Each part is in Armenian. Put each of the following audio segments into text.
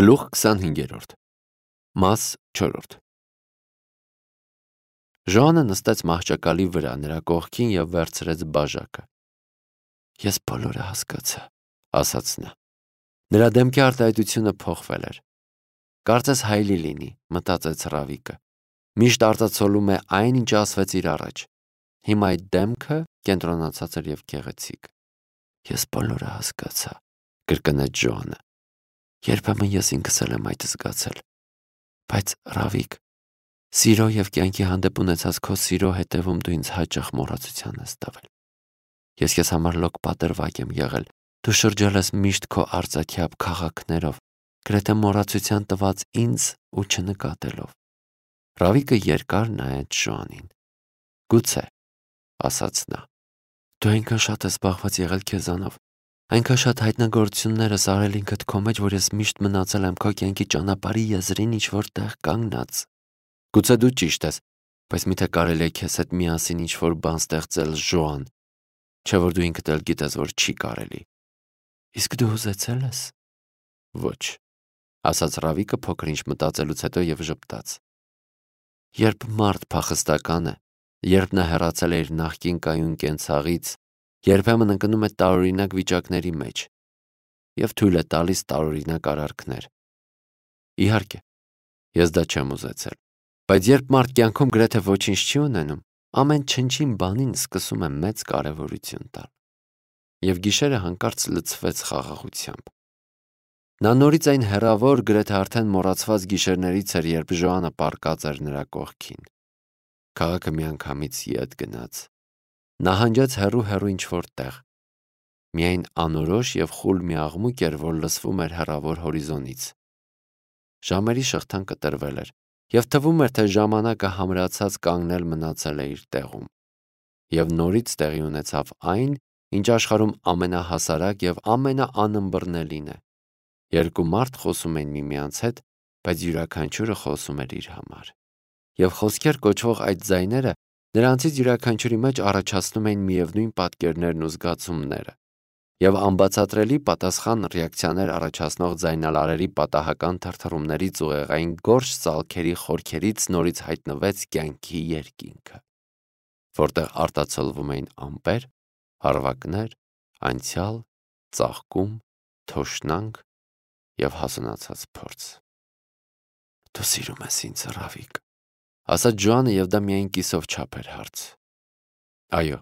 Գլուխ 25-րդ Մաս 4 Ժոանը նստեց մահճակալի վրա նրա կողքին և վերցրեց բաժակը։ Ես բոլորը հասկացա, ասաց նա։ Նրա դեմքի արտահայտությունը փոխվել էր։ Կարծես հայելի լինի, մտածեց Ռավիկը։ Միշտ արտացոլում է այն, ինչ ասվեց իր առաջ։ Հիմա այդ դեմքը կենտրոնացած էր և գեղեցիկ։ Ես բոլորը հասկացա, կրկնեց Ժոանը։ Երբեմն ես ինքս էլ եմ այդ զգացել։ Բայց Ռավիկ, սիրո և կյանքի հանդեպ ունեցած քո սիրո հետևում դու ինձ հաճախ մոռացության ես տվել։ Ես քեզ համար լոկ պատրվակ եմ եղել, դու շրջել ես միշտ քո արծաթյաբ քաղաքներով, գրեթե մոռացության տված ինձ ու չնկատելով։ Ռավիկը երկար նայեց Ժոանին։ Գուցե, ասաց նա, դու այնքան շատ ես զբաղված եղել քեզանով, այնքան շատ հայտնագործություններ ես արել ինքդ քո մեջ, որ ես միշտ մնացել եմ քո կյանքի ճանապարհի եզրին ինչ-որ տեղ կանգնած։ Գուցե դու ճիշտ ես, բայց միթե կարելի է քեզ հետ միասին ինչ-որ բան ստեղծել, Ժոան, չէ՞ որ դու ինքդ էլ գիտես, որ չի կարելի։ Իսկ դու ուզեցել ես։ Ոչ, ասաց Ռավիկը փոքր ինչ մտածելուց հետո և ժպտաց։ Երբ մարդ փախստական է, երբ նա հեռացել է իր նախկին կայուն կենցաղից, երբեմն ընկնում է տարօրինակ վիճակների մեջ և թույլ է տալիս տարօրինակ արարքներ։ Իհարկե, ես դա չեմ ուզեցել, բայց երբ մարդ կյանքում գրեթե ոչինչ չի ունենում, ամեն չնչին բանին սկսում է մեծ կարևորություն տալ։ Եվ գիշերը հանկարծ լցվեց խաղաղությամբ։ Նա նորից այն հեռավոր, գրեթե արդեն մոռացված գիշերներից էր, երբ Ժոանը պառկած էր նրա կողքին։ Քաղաքը միանգամից ետ գնաց։ Նահանջեց հեռու ինչ-որ տեղ։ Միայն անորոշ և խուլ մի աղմուկ էր, որ լսվում էր հեռավոր հորիզոնից։ Ժամերի շղթան կտրվել էր, և թվում էր, թե ժամանակը համրացած կանգնել մնացել է իր տեղում։ Եվ նորից տեղի ունեցավ այն, ինչ աշխարհում ամենահասարակ և ամենաանըմբռնելին է։ Երկու մարդ խոսում էին միմյանց հետ, բայց յուրաքանչյուրը խոսում էր իր համար։ Եվ խոսքեր կոչվող այդ ձայները նրանցից յուրաքանչյուրի մեջ առաջացնում էին միևնույն պատկերներն ու զգացումները։ Եվ անբացատրելի պատասխան ռեակցիաներ առաջացնող ձայնալարերի պատահական թրթռումներից ու ուղեղային գորշ ծալքերի խորքերից նորից հայտնվեց կյանքի երկինքը, որտեղ արտացոլվում էին ամպեր, հարվածներ, անցյալ, ծաղկում, թոշնանք և հասունացած փորձ։ Դու սիրում ես ինձ, Ռավիկ, ասաց Ժոանը, և դա միայն կիսով չափ էր հարց։ Այո,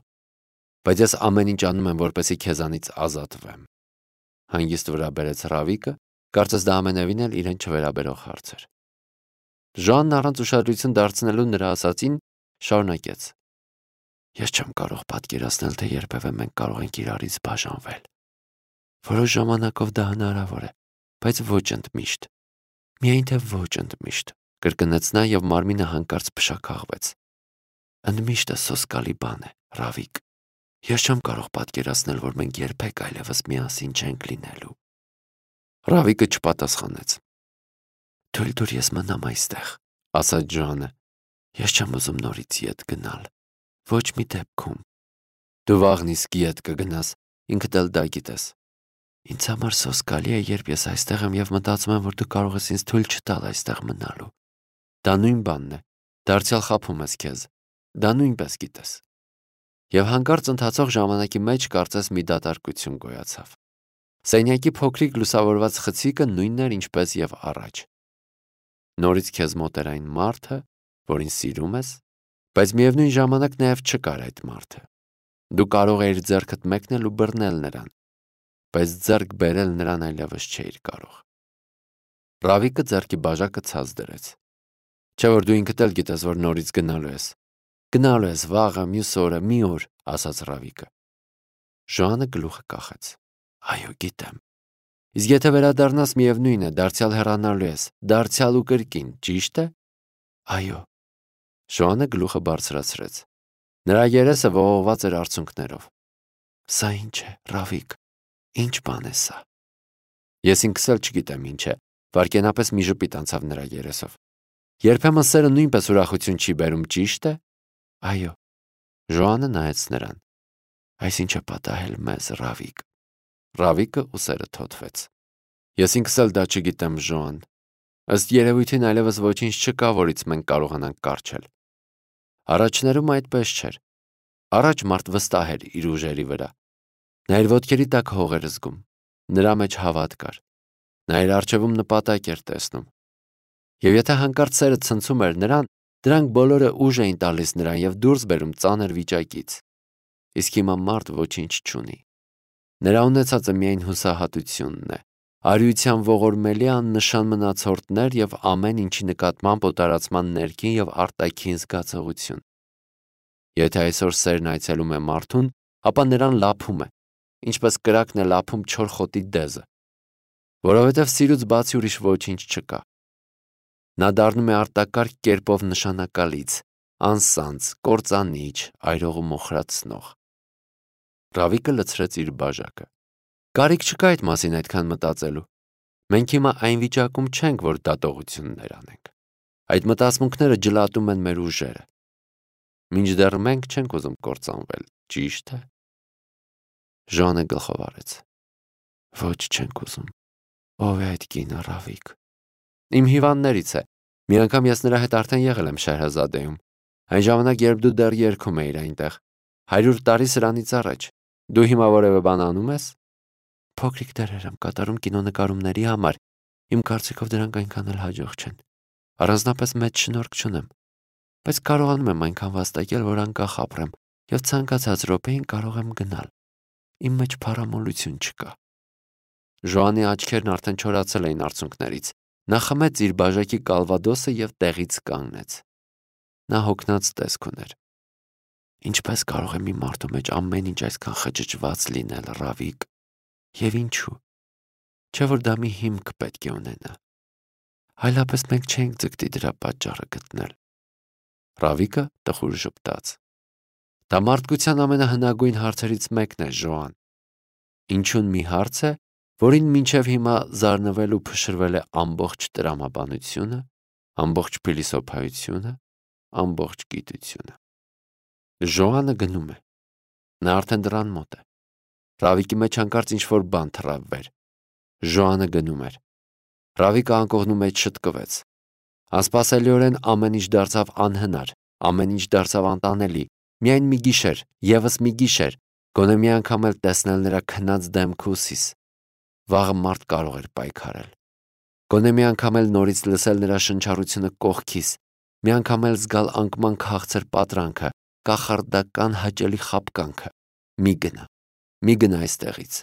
բայց ես ամեն ինչ անում եմ, որպեսզի քեզանից ազատվեմ, հանգիստ վրա բերեց Ռավիկը, կարծես դա ամենևին էլ իրեն չվերաբերող հարց էր։ Ժոանն առանց ուշադրություն դարձնելու նրա ասածին շարունակեց. Ես չեմ կարող պատկերացնել, թե երբևէ մենք կարող ենք իրարից բաժանվել։ Որոշ ժամանակով դա հնարավոր է, բայց ոչ ընդմիշտ։ Միայն թե ոչ ընդմիշտ, կրկնեց նա և մարմինը հանկարծ փշաքաղվեց։ Ընդմիշտը սոսկալի բան է, Ռավիկ։ Ես չեմ կարող պատկերացնել, որ մենք երբեք այլևս միասին չենք լինելու։ Ռավիկը չպատասխանեց։ Թույլ տուր ես մնամ այստեղ, ասաց Ժոանը։ Ես չեմ ուզում նորից ետ գնալ։ Ոչ մի դեպքում։ Դու վաղն իսկ ետ կգնաս, ինքդ էլ դա գիտես։ Ինձ համար սոսկալի է, երբ ես այստեղ եմ և մտածում եմ, որ դու կարող ես ինձ թույլ չտալ այստեղ մնալու։ Դա նույն բանն է, դարձյալ խաբում ես քեզ, դա նույնպես գիտես։ Եվ հանկարծ ընթացող ժամանակի մեջ կարծես մի դատարկություն գոյացավ։ Սենյակի փոքրիկ լուսավորված խցիկը նույնն էր, ինչպես և առաջ։ Նորից քեզ մոտ էր այն մարդը, որին սիրում ես, բայց միևնույն ժամանակ նաև չկար այդ մարդը։ Դու կարող էիր ձեռքդ մեկնել ու բռնել նրան, բայց ձեռք բերել նրան այլևս չէիր կարող։ Ռավիկը ձեռքի բաժակը ցած դրեց։ Չէ՞ որ դու ինքդ էլ գիտես, որ նորից գնալու ես։ Գնալու ես վաղը, մյուս օրը, մի օր, ասաց Ռավիկը։ Ժոանը գլուխը կախեց։ Այո, գիտեմ։ Իսկ եթե վերադառնաս, միևնույն է, դարձյալ հեռանալու ես, դարձյալ ու կրկին, ճիշտ է։ Այո։ Ժոանը գլուխը բարձրացրեց։ Նրա երեսը ողողված էր արցունքներով։ Սա ինչ է, Ռավիկ, ինչ բան է սա։ Ես ինքս էլ չգիտեմ ինչ է, վայրկենապես մի ժպիտ անցավ նրա երեսով։ Երբեմն սերը նույնպես ուրախություն չի բերում, ճիշտ է։ Այո։ Ժոանը նայեց նրան։ Այսինչ է պատահել մեզ, Ռավիկ։ Ռավիկը ուսերը թոթվեց։ Ես ինքս էլ դա չգիտեմ, Ժոան։ Ըստ երևույթին այլևս ոչինչ չկա, որից մենք կարողանանք կառչել։ Առաջներում այդպես չէր։ Առաջ մարդ վստահ էր իր ուժերի վրա։ Նա իր ոտքերի տակ հող էր զգում։ Նրա մեջ հավատ կար։ Նա իր առջևում նպատակ էր տեսնում։ Եվ եթե հանկարծ սերը ցնցում էր նրան, դրանք բոլորը ուժ էին տալիս նրան եւ դուրս բերում ծանր վիճակից։ Իսկ հիմա մարդ ոչինչ չունի։ Նրա ունեցածը միայն հուսահատությունն է, արիության ողորմելի աննշան մնացորդներ եւ ամեն ինչի նկատմամբ օտարացման ներքին եւ արտաքին զգացողություն։ Եթե այսօր սերն այցելում է մարդուն, ապա նրան լափում է, ինչպես կրակն է լափում չոր խոտի դեզը, որովհետեւ սիրուց բացի ուրիշ ոչինչ չկա։ Նա դառնում է արտակարգ կերպով նշանակալից, անսանձ, կործանիչ, այրող ու մոխրացնող։ Ռավիկը լցրեց իր բաժակը։ Կարիք չկա այդ մասին այդքան մտածելու։ Մենք հիմա այն վիճակում չենք, որ դատողություններ անենք։ Այդ մտածմունքները ջլատում են մեր ուժերը։ Մինչդեռ մենք չենք ուզում կործանվել, ճիշտ է։ Ժանը գլխով արեց։ Ոչ, չենք ուզում։ Ով է այդ կինը, Ռավիկ։ Իմ հիվանդներից է։ Մի անգամ ես նրա հետ արդեն եղել եմ Շահրազադեում։ Այն ժամանակ, երբ դու դեռ երգում էիր այնտեղ, 100 տարի սրանից առաջ։ Դու հիմա որևէ բան անում ես։ Փոքրիկ դերեր եմ կատարում կինոնկարումների համար։ Իմ կարծիքով դրանք այնքան էլ հաջող չեն։ Առանձնապես մեծ շնորհք չունեմ։ Բայց կարողանում եմ այնքան վաստակել, որ անկախ ապրեմ, եւ ցանկացած րոպեին կարող եմ գնալ։ Իմ մեջ փառամոլություն չկա։ Ժոանի աչքերն արդեն չորացել էին արցունքներից։ Նա խմեց իր բաժակի կալվադոսը եւ տեղից կանգնեց։ Նա հոգնած տեսք ուներ։ Ինչպես կարող է մի մարդու մեջ ամեն ինչ այսքան խճճված լինել, Ռավիկ։ Եվ ինչու։ Չէ՞ որ դա մի հիմք պետք է ունենա։ Այլապես մենք չենք ձգտի դրա պատճառը գտնել։ Ռավիկը տխուր ժպտաց։ Դա մարդկության ամենահնագույն հարցերից մեկն է, Ժոան։ Ինչուն մի հարց է, որին մինչև հիմա զարնվել ու փշրվել է ամբողջ տրամաբանությունը, ամբողջ փիլիսոփայությունը, ամբողջ գիտությունը։ Ժոանը գնում է։ Նա արդեն դռան մոտ է։ Ռավիկի մեջ հանկարծ ինչ-որ բան թռավ վեր։ Ժոանը գնում էր։ Ռավիկը անկողնու մեջ շտկվեց։ Անսպասելիորեն ամեն ինչ դարձավ անհնար, ամեն ինչ դարձավ անտանելի։ Միայն մի գիշեր, եւս մի գիշեր, գոնե մի անգամ էլ տեսնել նրա քնած դեմքը ու սիս։ Վաղը մարդ կարող էր պայքարել։ Գոնե մի անգամ էլ նորից լսել նրա շնչառությունը կողքիս, մի անգամ էլ զգալ անկման քաղցր պատրանքը, կախարդական հաճելի խաբկանքը։ Մի գնա այստեղից։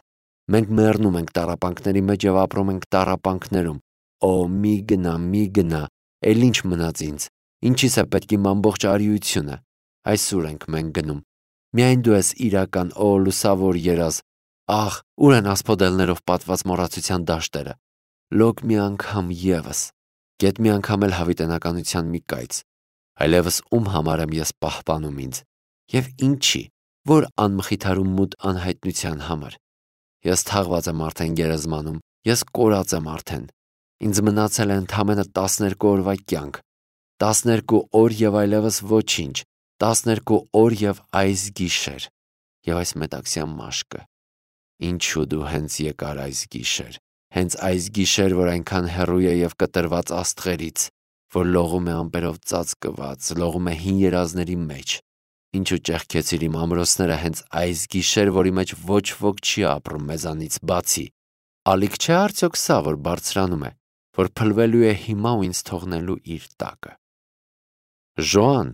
Մենք մեռնում ենք տառապանքների մեջ եւ ապրում ենք տառապանքներում։ Օ, մի գնա, էլ ինչ մնաց ինձ։ Ինչիս է պետք իմ ամբողջ արիությունը։ Այսօր ենք մենք գնում։ Միայն դու ես իրական, օ, լուսավոր երազ։ Ահ, ուր են ասպոդելներով պատված մոռացության դաշտերը։ Լոկ մի անգամ եւս։ Գետ մի անգամ էլ հավիտենականության մի կայծ։ Այլևս ում համար եմ ես պահպանում ինձ։ Եվ ինչի, որ անմխիթարում մութ անհայտնության համար։ Ես թաղված եմ արդեն գերեզմանում, ես կորած եմ արդեն։ Ինձ մնացել է ընդամենը 12 օրվա կյանք։ 12 օր եւ այլևս ոչինչ։ 12 օր եւ այս գիշեր։ Եվ այս մետաքսյան մաշկը։ Ինչու դու հենց եկար այս գիշեր։ Հենց այս գիշեր, որ այնքան հեռու է եւ կտրված աստղերից, որ լողում է ամպերով ծածկված, լողում է հին երազների մեջ։ Ինչու ճեղքեցիր իմ ամրոցները հենց այս գիշեր, որի մեջ ոչ ոք չի ապրում մեզանից բացի։ Ալիք չէ արդյոք սա, որ բարձրանում է, որ փլվելու է հիմա ու ինձ թողնելու իր տակը։ Ժոան,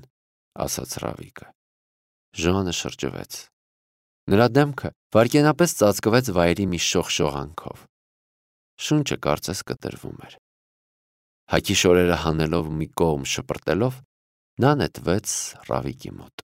ասաց Ռավիկը։ Ժոանը շրջվեց։ Նրա դեմքը վայրկենապես ծածկվեց վայրի մի շողշողանքով։ Շունչը կարծես կտրվում էր։ Հագի շորերը հանելով մի կողմ շպրտելով, նա նետվեց Ռավիկի մոտ։